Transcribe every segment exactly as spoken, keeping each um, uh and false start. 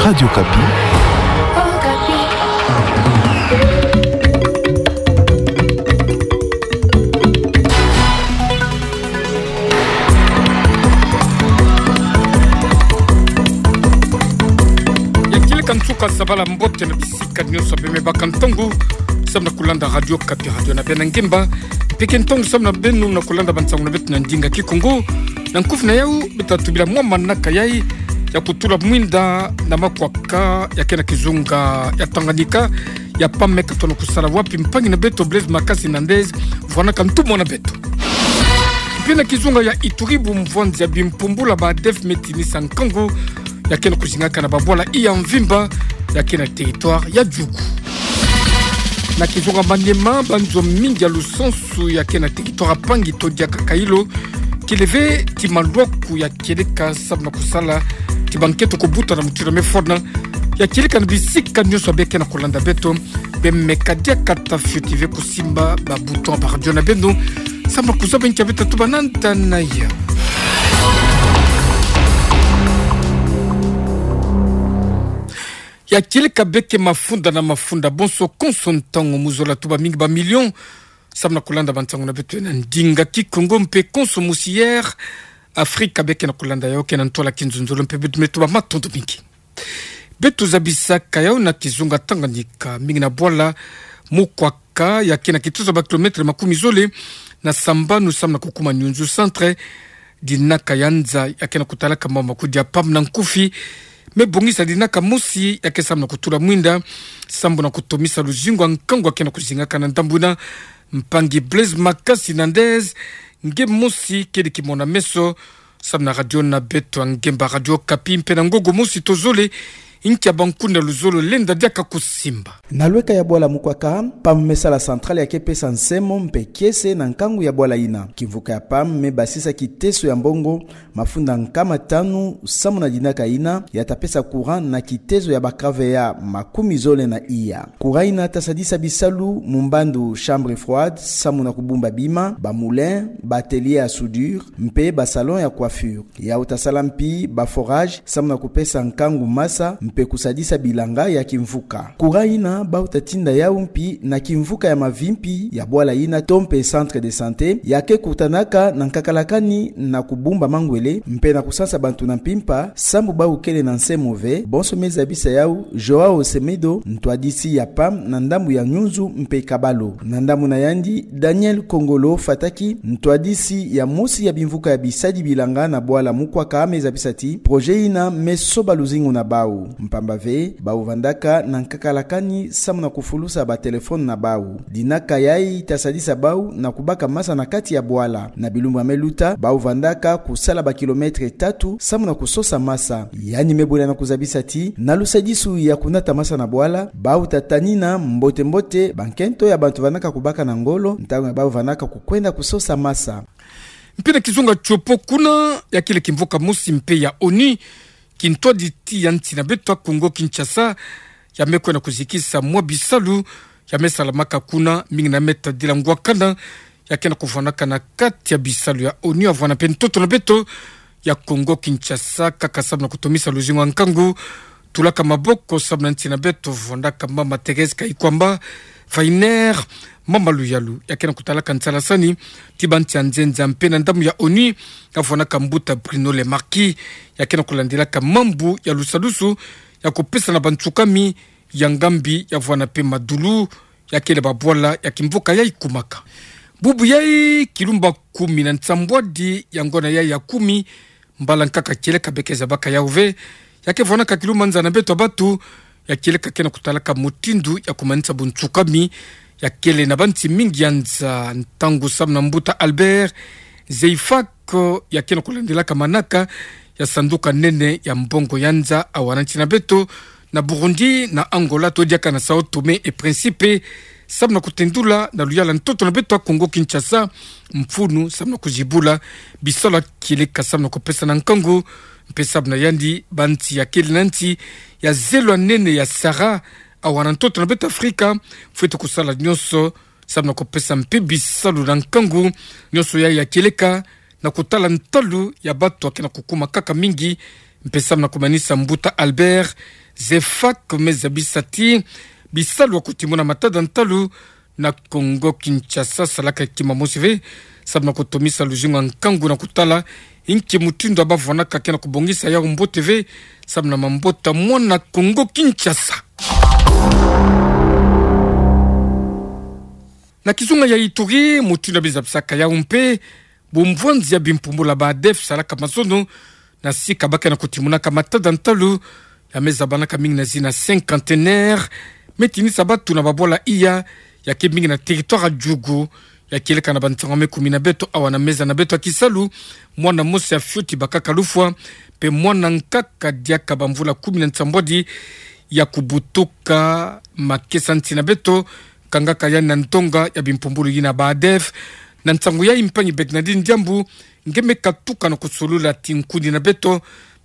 Radio Okapi. Ya kieleka nsuka sabala mbote na bisika nyonso beno me baka ntangu samu na kulanda Radio Okapi, radio na beno ya ngemba. Peke ntangu samu na beno na kulanda bansangu na beto na ndinga Kikongo. Na nkufi na yau, beto ta tubila mwa manaka yai ya kutula mwinda na makwaka ya kena kizunga ya Tanganyika ya PAM me ka tona kusala wapi mpangi na beto Blaise Makasi Nandez vwanaka ntumwa na beto. Mpe na kizunga ya Ituri, bumvwanzi ya bimpumbula ba ADF me tinisa nkangu ya kena kuzingaka na babwala iya mvimba ya kena territoire ya Djugu. Na kizunga Maniema, banzo mingi ya lusansu ya kena territoire ya Pangi to diaka Kailo, kileve ti malwaku ya kieleka samu na kusala ti bankento kubuta na mutiura mefona. Ya kieleka na bisika nyonso beno ke na kulanda beto, beno me ka diaka ta fioti ve kusimba ba bouton ya ba radio na beno samu na kuzaba nkia beno ta tuba na ntanaya. Ya kieleka beno ke mafunda na mafunda, bonso konso ntangu mu zola tuba mingi ba million samu na kulanda bansangu na beto na ndinga Kikongo mpe konso mosi Air Africa beno ke na kulanda yau ke na ntwala kinzonzolo mpe beto me tuba matondo mingi. Beto zabisaka yau na kizunga Tanganyika, mingi na bwala Mukwaka ya kena kitozo ba kilomètre makumi zole na sambanu samu na kukuma Nyunzu centre, dinaka ya nza ya kena kutalaka mama kudi ya PAM na nkufi me bongisa dinaka mosi ya ke samu na kutula mwinda sambu na kutomisa luzingu ya nkangu ya kena kuzingaka na ndambu ina. Mpangi Blaise Makasi Nandez, nge mosi kele kimona meso samu na radio na beto ya ngemba Radio Okapi mpe na ngongo mosi tozole nkia bankundi ya luzolo lenda diaka kusimba. Na lweka ya bwala Mukwaka, PAM me sala centrale ya ke pesa nsemo mpe kiese na nkangu ya bwala ina. Kimvuka ya PAM me basisa kiteso ya mbongo mafunda nkama tanu samu na dinaka ina ya ta pesa courant na kiteso ya ba kavea makumi zole na iya. Courant ina ta sadisa bisalu mu mbandu chambre froide samu na kubumba bima, ba moulin, ba atelier ya soudure, mpe ba salon ya coiffure. Yau ta sala mpi ba forage samu na kupesa nkangu masa mpe kusadisa bilanga ya kimvuka. Courant ina bau ta tinda yau mpi na kimvuka ya mavimpi ya bwala ina to mpe centre de santé ya ke kutanaka na nkakalakani na kubumba mangwele mpe na kusansa bantu na mpimpa sambu bau kele na nsemo ve, bonso me zabisa yau João Semedo, ntwadisi ya PAM na ndambu ya Nyunzu mpe Kabalo. Na ndambu na yandi, Daniel Kongolo Fataki, ntwadisi ya mosi ya bimvuka ya bisadi bilanga na bwala Mukwaka, me zabisa ti projet ina me soba luzingu na bau. Mpamba ve, bau vandaka na nkakalakani samu na kufulusa ba téléphone na bau. Dinaka yai ta sadisa bau na kubaka masa na kati ya bwala. Na bilumbu ya me luta, bau vandaka kusala ba kilomètre tatu samu na kusosa masa. Yandi me bula na kuzabisa ti, na lusadisu ya kunata masa na bwala, bau ta tanina mbote-mbote bankento ya bantu vandaka kubaka na ngolo ntangu ya bau vandaka kukwenda kusosa masa. Mpe na kizunga Tshopo, kuna ya kele kimvuka mosi mpe ya ONU, kintwadi ti ya nsi na beto ya Congo Kinshasa ya me kwenda kuzikisa mwa bisalu ya me salamaka kuna, mingi na me tadila ngwakana ya kena kuvwanaka na kati ya bisalu ya ONU, ya vwana mpe ntoto na beto ya Congo Kinshasa, kaka samu na kutomisa luzingu ya nkangu, tulaka maboko samu na nsi na beto, vandaka mama Thérèse Kayikwamba Weiner, mama Luyalu, ya kena kutalaka nsalasani ti bansi ya nzenza mpe na ndambu ya ONU, ya vandaka mbuta Bruno Le Marquis, ya kena kulandilaka mambu ya lusadusu ya kupesa na bansukami ya ngambi, ya vwana mpe madulu ya kele babwala ya kimvuka yai kumaka. Bubu yai, kilumba kumi na nsambwadi ya ngona yai ya kumi, mbala nkaka kieleka beno ke zabaka yau ve, ya ke vwanaka kilumba nza na beto ya batu, ya kieleka kena kutalaka mutindu ya kumanisa bunsukami ya kele na bansi mingi ya nza, ntangu samu na mbuta Albert Zeifak ya kena kulandilaka manaka ya sanduka nene ya mbongo ya nza, awa na nsi na beto na Burundi, na Angola, to diaka na Sao Tome et Principe, samu na kutendula na luyala ntoto na beto ya Congo Kinshasa mfunu samu na kuzibula bisalu ya kieleka samu na kupesa na nkangu, mpe samu na yandi bansi ya kele na nsi ya zelo ya nene ya Sahara, awa na ntoto na beto Afrika, fwete kusala nyonso samu na kupesa mpe bisalu na nkangu, nyonso yai ya kieleka na kutala ntalu ya batu ya kena kukuma kaka mingi, mpe samu na kumanisa mbuta Albert Zefak me zabisa ti bisalu ya kutimuna matada ntalu na Kongo Kinshasa, salaka kima mosi ve, sababu na kutomisa luzingu ya nkangu na kutala inki mutindu ya bavwanaka ke na kubongisa yau mbote ve, sababu na mambota mwana Kongo Kinshasa. Na kizunga ya Ituri, mutindu ya bizabisaka yau mpe, bumvwanzi ya bimpumbulu ya ba ADEF salaka mazono na sika ba ke na kutimunaka matada ntalu ya me zabanaka mingi na zina cinquantenaire, me tinisa batu na babwala iya ya ke mingi na territoire ya Djugu. Ya kieleka na bansangu ya me kumi na beto awa na meza na beto ya kisalu, mwana mosi ya fioti bakaka lufwa, mpe mwana nkaka diaka bamvula kumi na nsambwadi ya kubutuka. Makesa nsi na beto kangaka yandi na ndonga ya bimpumbulu yina ba ADEF. Na nsangu yai, mpangi Bernardine Diambu nge me katuka na kusolula ti nkuni na beto,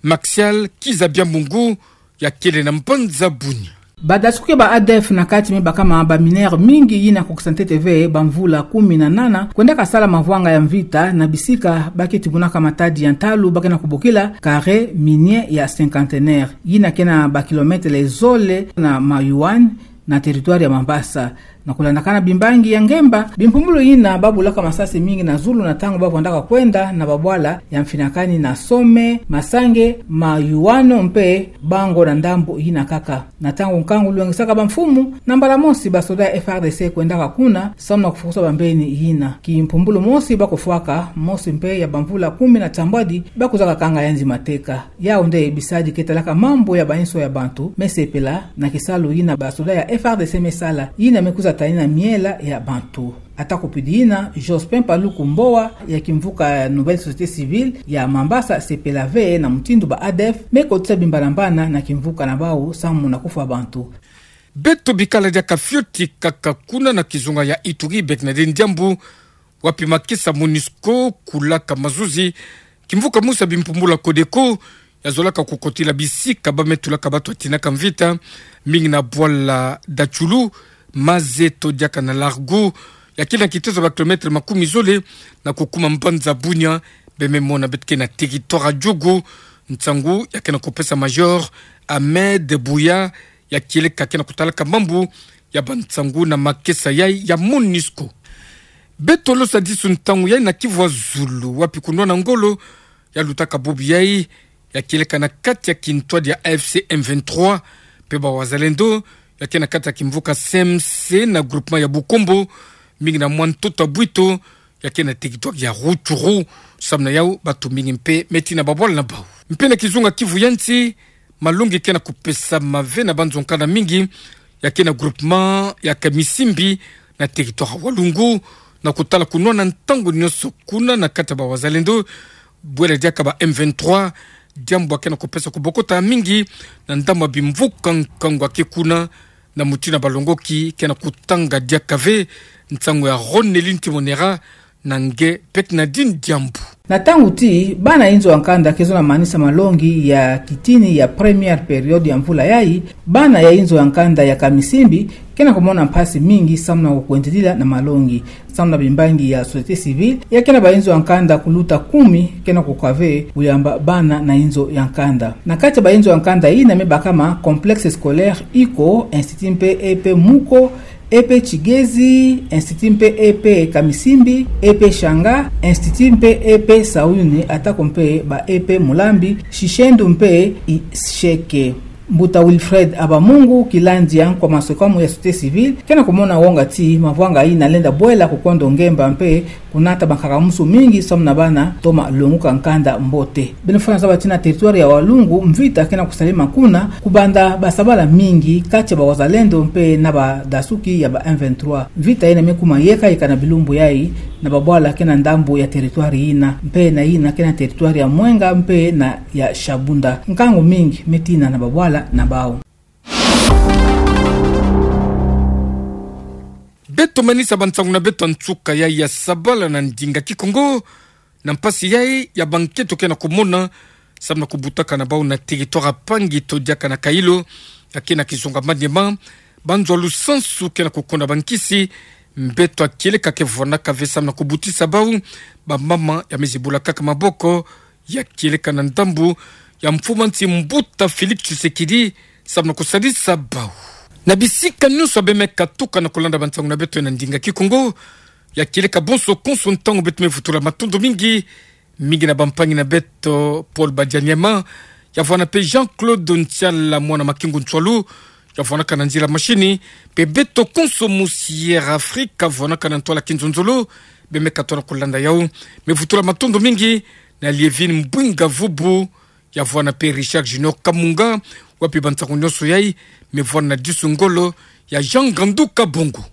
Maxial Kiza Biamungu, ya kele na mbanza Bunia. Badasuki ba ADEF na kati me bakama ba mineurs mingi yina kokisa ntete ve bamvula kumi na nana, kwendaka sala mavwanga ya mvita na bisika ba ke timunaka matadi ya ntalu ba ke na kubokila carré minier ya cinquantenaire, yina ke na ba kilomètre zole na Mayoane, na territoire ya Mambasa. Na kulandakana bimbangi ya ngemba, bimpumbulu yina babulaka masasi mingi na zulu na ntangu bavwandaka kwenda na babwala ya Mfinakani na Some, Masange, Mayuano mpe Bango na ndambu yina kaka. Na ntangu nkangu lwengisaka bamfumu, na mbala mosi basoda ya F R D C kwendaka kuna, samu na kufukusa bambeni yina. Kimpumbulu mosi bakofwaka, mosi mpe ya bamvula kumi na nsambwadi, bakuzaka kanga yandi mateka. Yau nde bisadi ke talaka mambu ya bainso ya bantu me sepela na kisalu yina basoda ya F R D C me sala, yina me kwiza tanina miela ya bantu. Ata kupidi yina, Jospin Paluku Mboa ya kimvuka Nouvelle Société Civile ya Mambasa sepela ve na mutindu ba ADEF me kotisa bimbanambana na kimvuka na bau samu na kufwa bantu. Beto bikala diaka fioti kaka kuna na kizunga ya Ituri, Bernardine Diambu, wapi makesa MONUSCO kulaka mazuzi, kimvuka mosi ya bimpumbulu ya CODECO ya zolaka kukotila bisika ba me tulaka batu ya tinaka mvita, mingi na bwala Dachulu, Mazeto diaka na Largo, ya ke na kitezo ba kilomètre makumi zole na kukuma mbanza Bunia. Be me mona beto ke na territoire ya Djugu, nsangu ya ke na kupesa Major Ahmed Bouya, ya kieleka ke na kutalaka mambu ya bansangu na makesa yai ya MONUSCO. Beto losa disu ntangu yai na Kivu ya Zulu, wapi kunwana ngolo ya lutaka bubu yai, ya kieleka na kati ya kintwadi ya A F C M vingt-trois mpe ba Wazalendo, ya ke na kati ya kimvuka C M C na groupement ya Bukombo, mingi na mwa ntoto ya Bwito, ya ke na territoire ya Rutshuru. Samu na yau batu mingi mpe me tina babwala na bau. Mpe na kizunga Kivu ya nsi, malongi ke na kupesama ve na banzo-nkanda mingi ya ke na groupement ya Kamisimbi na territoire ya Walungu, na kutala kunwana ntangu nyonso kuna na kati ya ba Wazalendo, bwela diaka ba M vingt-trois, diambu ya ke na kupesa kubokota mingi na ndambu ya bimvuka nkangu ya ke kuna, na mutindu ya balongoki ke na kutanga diaka ve. Nsangu ya Ronelin Timonera na nge Bernardine Diambu. Na ntangu ti, bana inzo ya nkanda ke zo na manisa malongi ya kitini ya première période ya mvula yai, bana ya inzo ya nkanda ya Kamisimbi ke na kumona mpasi mingi samu na kukwendilila na malongi. Samu na bimbangi ya société civile, ya ke na bainzo ya nkanda kuluta kumi ke na kukwa ve kuyamba bana na inzo ya nkanda. Na kati ya bainzo ya nkanda yina me bakama Complexe Scolaire Iko, Institut mpe E P Muko, E P Kigezi, Institut mpe E P Kamisimbi, E P Shanga, Institut mpe E P Sauni, atako mpe ba E P Mulambi, Shishendu mpe Isheke. Mbuta Wilfred Abamungu, kilandi ya nkwa maswekamu ya société civile, ke na kumona wonga ti mavwanga yina lenda bwela kukondo ngemba mpe kunata bankaka-musu mingi samu na bana toma longuka nkanda mbote. Beno fwana zaba ti na territoire ya Walungu, mvita ke na kusalema kuna, kubanda basabala mingi kati ya ba Wazalendo mpe na badasuki ya ba M vingt-trois. Mvita yina me kuma yeka yeka na bilumbu yai, na babwala ke na ndambu ya territoire yina, mpe na yina ke na territoire ya Mwenga mpe na ya Shabunda. Nkangu mingi me tina na babwala na bau. Beto manisa bansangu na beto ya nsuka yai ya sabala na ndinga Kikongo, na mpasi yai ya bankento ke na kumona, samu na kubutaka na bau na territoire ya Pangi to diaka na Kailo, ya ke na kizunga Maniema, banzo ya lusansu ke na kukonda bankisi, mbeto ya kieleka ke vwanaka ve samu na kubutisa bau, bamama ya me zibula kaka maboko, ya kieleka na ndambu ya mfumu ya nsi mbuta Félix Tshisekedi, samu na kusadisa bau. Na bisika nyonso bemeka tuka na kulanda bansangu na beto na ndinga Kikongo, ya kieleka bonso konso ntangu beto me vutula matondo mingi, mingi na bampangi na beto Paul Badianyama, ya vwana pe Jean-Claude Ntiala mwana Makingu Ntswalu, ya vwanaka na nzila mashini, pe beto konso mu Sierra Africa, vwanaka na ntwala kinzonzolo, bemeka tona kulanda yau. Me vutula matondo mingi na Lievine Mbwinga Vubu, ya vwana pe Richard Junior Kamunga, wapi bansangu nyonso yai, me vwana na disu ngolo ya Jean Gandu Kabongo.